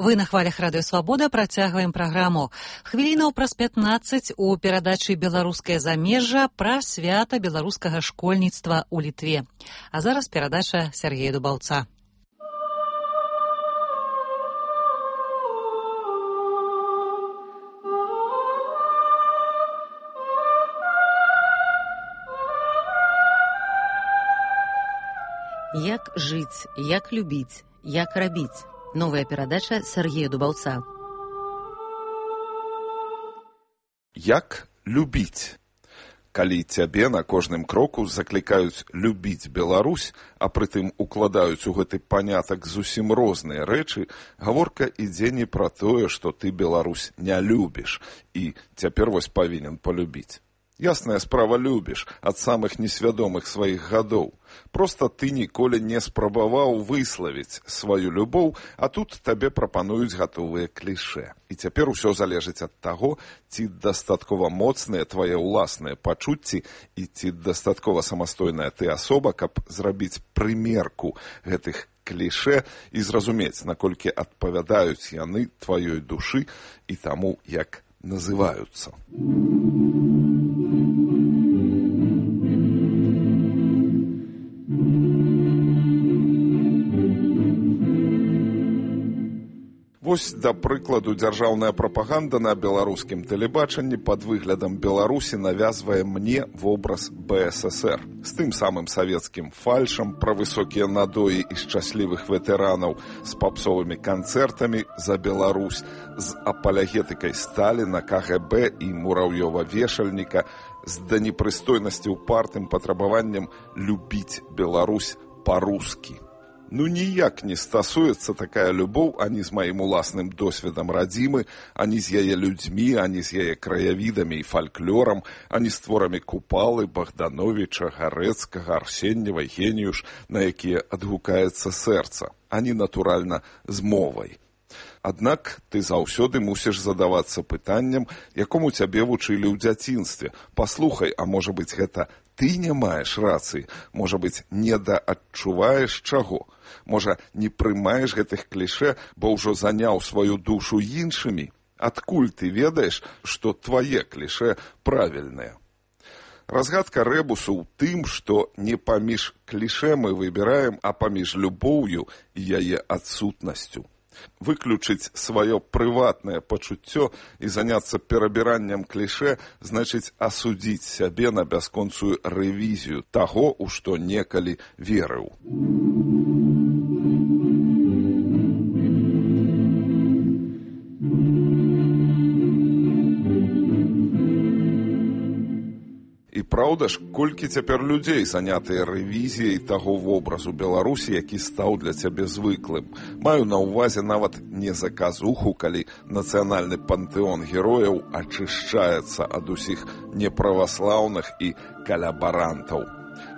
Вы на хвалях Радыё Свабода працягваем праграму. Хвілінаў праз 15 у перадачы «Беларускае замежжа» пра свята беларускага школьніцтва ў Літве. А зараз перадача Сергея Дубаўца. Як жыць, як любіць, як рабіць. Новая перадача Сергея Дубаўца. Як любіць? Калі цябе на кожным кроку заклікаюць любіць Беларусь, а прытым укладаюць у гэты панятак зусім розныя рэчы, гаворка ідзе не пра тое, што ты Беларусь не любіш і цяпер вось павінен палюбіць. Ясная справа, любіш ад самых несвядомых сваіх гадоў. Проста ты ніколі не спрабаваў выславіць сваю любоў, а тут табе прапануюць гатовыя клішэ. І цяпер усё залежыць ад таго, ці дастаткова моцныя твае ўласныя пачуцці і ці дастаткова самастойная ты асоба, каб зрабіць прымерку гэтых клішэ і зразумець, наколькі адпавядаюць яны тваёй душы і таму, як называюцца. Вось, да прыкладу, дзяржаўная прапаганда на беларускім тэлебачанні пад выглядам Беларусі навязвае мне вобраз БССР. З тым самым савецкім фальшам пра высокія надоі і шчаслівых ветэранаў, з папсовымі канцэртамі за Беларусь, з апалягетыкай Сталіна, КГБ і Мураўёва-вешальніка, з данепрыстойнасці упартым патрабаваннем любіць Беларусь па-рускі. Ну, ніяк не стасуецца такая любоў ані з маім уласным досведам радзімы, ані з яе людзьмі, ані з яе краявідамі і фальклорам, ані з творамі Купалы, Богдановича, Гарэцкага, Арсеньева, Геніюш, на якія адгукаецца сэрца, ані, натуральна, з мовай. Аднак ты заўсёды мусіш задавацца пытаннем, якому цябе вучылі ў дзяцінстве. Паслухай, а можа быць, гэта ты не маеш рацыі? Можа быць, недаадчуваеш чаго? Можа, не прымаеш гэтых клішэ, бо ўжо заняў сваю душу іншымі? Адкуль ты ведаеш, што твае клішэ правільныя? Разгадка рэбусу ў тым, што не паміж клішэ мы выбіраем, а паміж любоўю і яе адсутнасцю. Выключыць сваё прыватнае пачуццё і заняцца перабіраннем клішэ значыць асудзіць сябе на бясконцую рэвізію таго, у што некалі верыў. І праўда ж, колькі цяпер людзей занятыя рэвізіяй таго вобразу Беларусі, які стаў для цябе звыклым. Маю на ўвазе нават не заказуху, калі нацыянальны пантэон герояў ачышчаецца ад усіх неправаслаўных і калябарантаў.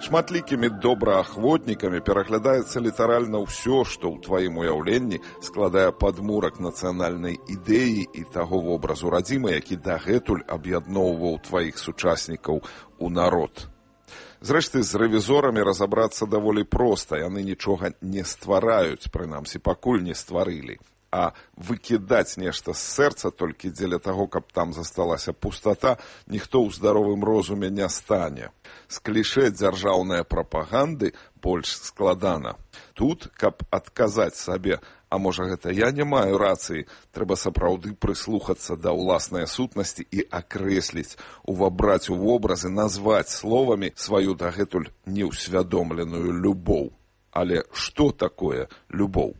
Шматлікімі добраахвотнікамі пераглядаецца літаральна ўсё, што ў тваім уяўленні складае падмурак нацыянальнай ідэі і таго вобразу радзімы, які дагэтуль аб'ядноўваў тваіх сучаснікаў у народ. Зрэшты, з рэвізорамі разабрацца даволі проста, яны нічога не ствараюць, прынамсі, пакуль не стварылі. А выкідаць нешта з сэрца толькі дзеля таго, каб там засталася пустата, ніхто ў здаровым розуме не стане. З клішэ дзяржаўнай прапаганды больш складана. Тут, каб адказаць сабе, а можа гэта я не маю рацыі, трэба сапраўды прыслухацца да ўласнай сутнасці і акрэсліць, увабраць у вобразы, назваць словамі сваю дагэтуль неўсвядомленую любоў. Але што такое любоў?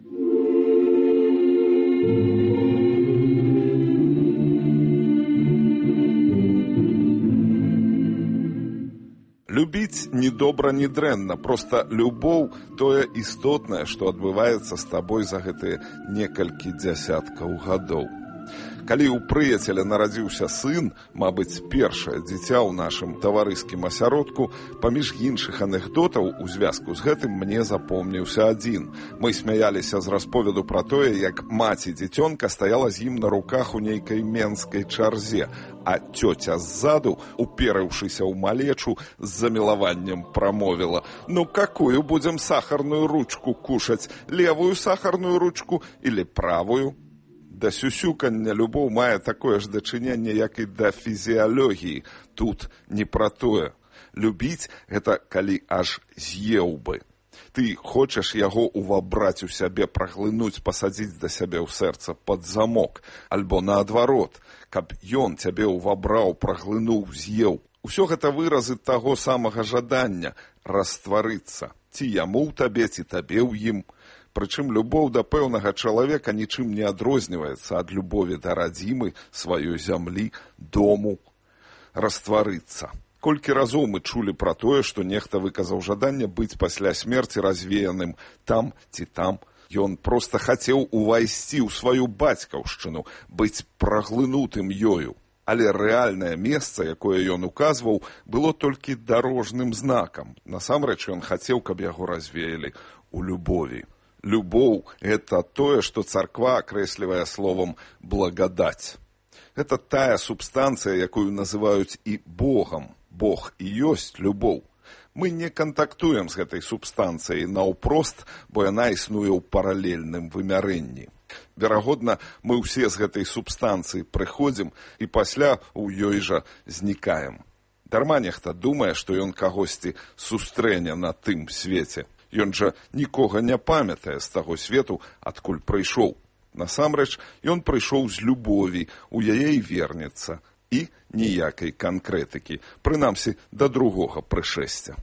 Любіць ні добра, ні дрэнна, проста любоў тое істотнае, што адбываецца з табой за гэтыя некалькі дзясяткаў гадоў. Калі ў прыяцеля нарадзіўся сын, мабыць, першае дзіця ў нашым таварыскім асяродку, паміж іншых анекдотаў у звязку з гэтым мне запомніўся адзін. Мы смяяліся з расповеду пра тое, як маці дзіцёнка стаяла з ім на руках у нейкай менскай чарзе, а цёця ззаду, уперыўшыся ў малечу, з замілаваннем прамовіла: «Ну, какую будзем сахарную ручку кушаць? Левую сахарную ручку или правую?» Да сюсюкання любоў мае такое ж дачыненне, як і да фізіялогіі. Тут не пра тое. Любіць – гэта калі аж з'еў бы. Ты хочаш яго увабраць у сябе, праглынуць, пасадзіць да сябе ў сэрца пад замок, альбо наадварот, каб ён цябе увабраў, праглынуў, з'еў. Усё гэта выразы таго самага жадання растварыцца. Ці яму ў табе, ці табе ў ім. Прычым любоў да пэўнага чалавека нічым не адрозніваецца ад любові да радзімы, сваёй зямлі, дому. Растварыцца. Колькі разоў мы чулі пра тое, што нехта выказаў жаданне быць пасля смерці развеяным там ці там. Ён проста хацеў увайсці ў сваю бацькаўшчыну, быць праглынутым ёю. Але рэальнае месца, якое ён указваў, было толькі дарожным знакам. Насамрэч ён хацеў, каб яго развеялі ў любові. Любоў – гэта тое, што царква акрэслівае словам «благадаць». Гэта тая субстанцыя, якую называюць і Богам. Бог і ёсць любоў. Мы не кантактуем з гэтай субстанцыяй наўпрост, бо яна існуе ў паралельным вымярэнні. Верагодна, мы ўсе з гэтай субстанцыі прыходзім і пасля ў ёй жа знікаем. Дарма нехта думае, што ён кагосьці сустрэне на тым свеце. Ён жа нікога не памятае з таго свету, адкуль прыйшоў. Насамрэч, ён прыйшоў з любові, у яе і вернецца. І ніякай канкрэтыкі, прынамсі, да другога прышэсця.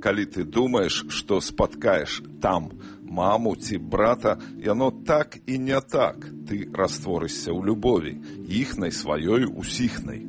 Калі ты думаеш, што спаткаеш там маму ці брата, яно так і не так. Ты растворышся ў любові, іхнай, сваёй, усіхнай.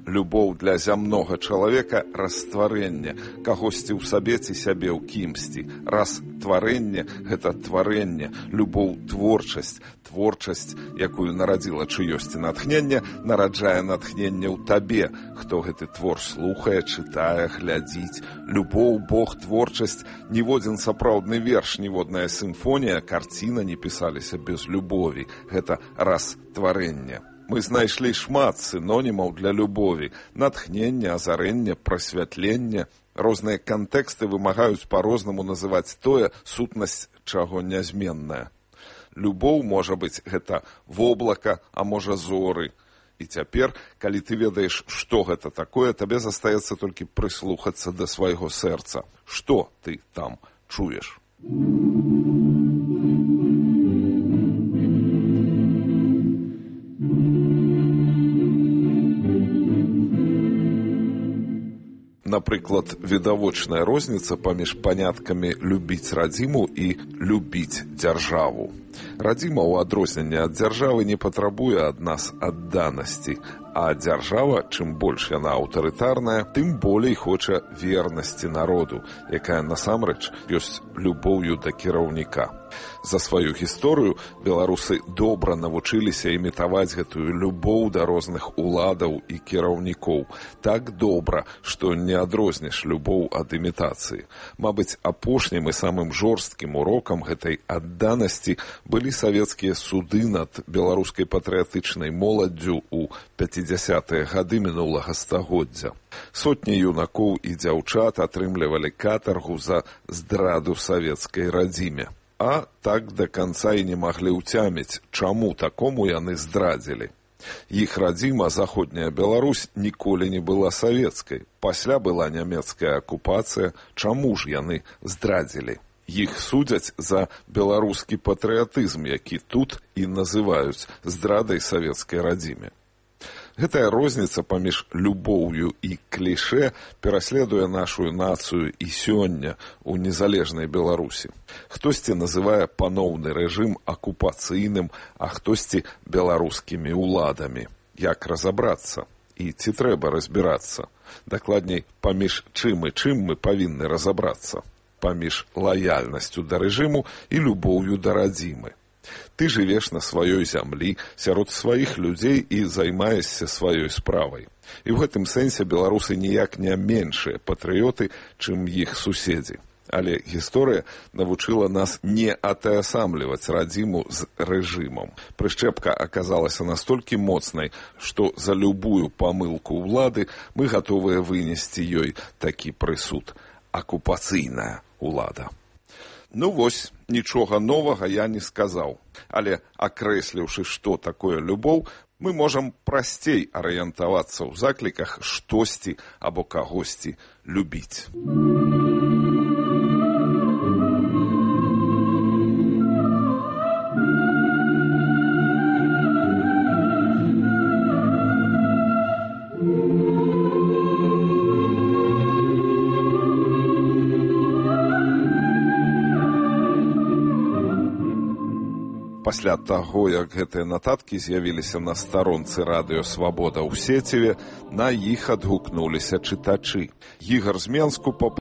Любоў для зямнога чалавека – растварэнне, кагосьці ў сабе ці сябе ў кімсьці. Растварэнне – гэта тварэнне, любоў – творчасць. Творчасць, якую нарадзіла чыёсьці натхненне, нараджае натхненне ў табе, хто гэты твор слухае, чытае, глядзіць. Любоў, Бог, творчасць – ніводзін сапраўдны верш, ніводная сімфонія, карціна не пісаліся без любові. Гэта растварэнне. Мы знайшлі шмат сінонімаў для любові. Натхнення, азарэнне, прасвятленне. Розныя кантэксты вымагаюць па-рознаму называць тое, сутнасць чаго нязменная. Любоў можа быць гэта воблака, а можа зоры. І цяпер, калі ты ведаеш, што гэта такое, табе застаецца толькі прыслухацца да свайго сэрца. Што ты там чуеш? Напрыклад, відавочная розніца паміж паняткамі «любіць радзіму» і «любіць дзяржаву». Радзіма, у адрозненне ад дзяржавы, не патрабуе ад нас адданасці, а дзяржава, чым больш яна аўтарытарная, тым болей хоча вернасці народу, якая насамрэч ёсць любоўю да кіраўніка. За сваю гісторыю беларусы добра навучыліся імітаваць гэтую любоў да розных уладаў і кіраўнікоў. Так добра, што не адрозніш любоў ад імітацыі. Мабыць, апошнім і самым жорсткім урокам гэтай адданасці былі савецкія суды над беларускай патрыятычнай моладдзю ў 50-е гады мінулага стагоддзя. Сотні юнакоў і дзяўчат атрымлівалі катаргу за здраду савецкай радзіме. А так да канца і не маглі ўцяміць, чаму такому яны здрадзілі. Іх радзіма, заходняя Беларусь, ніколі не была савецкай. Пасля была нямецкая акупацыя, чаму ж яны здрадзілі? Іх судзяць за беларускі патрыятызм, які тут і называюць здрадай савецкай радзіме. Гэтая розніца паміж любоўю і клішэ пераследуе нашу нацыю і сёння ў незалежнай Беларусі. Хтосьці называе паноўны рэжым акупацыйным, а хтосьці беларускімі ўладамі. Як разабрацца? І ці трэба разбірацца? Дакладней, паміж чым і чым мы павінны разабрацца? Паміж лаяльнасцю да рэжыму і любоўю да радзімы. Ты жывеш на сваёй зямлі, сярод сваіх людзей і займаешся сваёй справай. І ў гэтым сэнсе беларусы ніяк не меншыя патрыёты, чым іх суседзі. Але гісторыя навучыла нас не атаясамліваць радзіму з рэжымам. Прышчэпка аказалася настолькі моцнай, што за любую памылку ўлады мы гатовыя вынесці ёй такі прысуд. Акупацыйная ўлада. Ну вось, нічога новага я не сказаў. Але, акрэсліўшы, што такое любоў, мы можам прасцей арыентавацца ў закліках штосьці або кагосьці любіць. Пасля таго, як гэтыя нататкі з'явіліся на старонцы радыё «Свабода» ў сеціве, на іх адгукнуліся чытачы. Ігар з Менску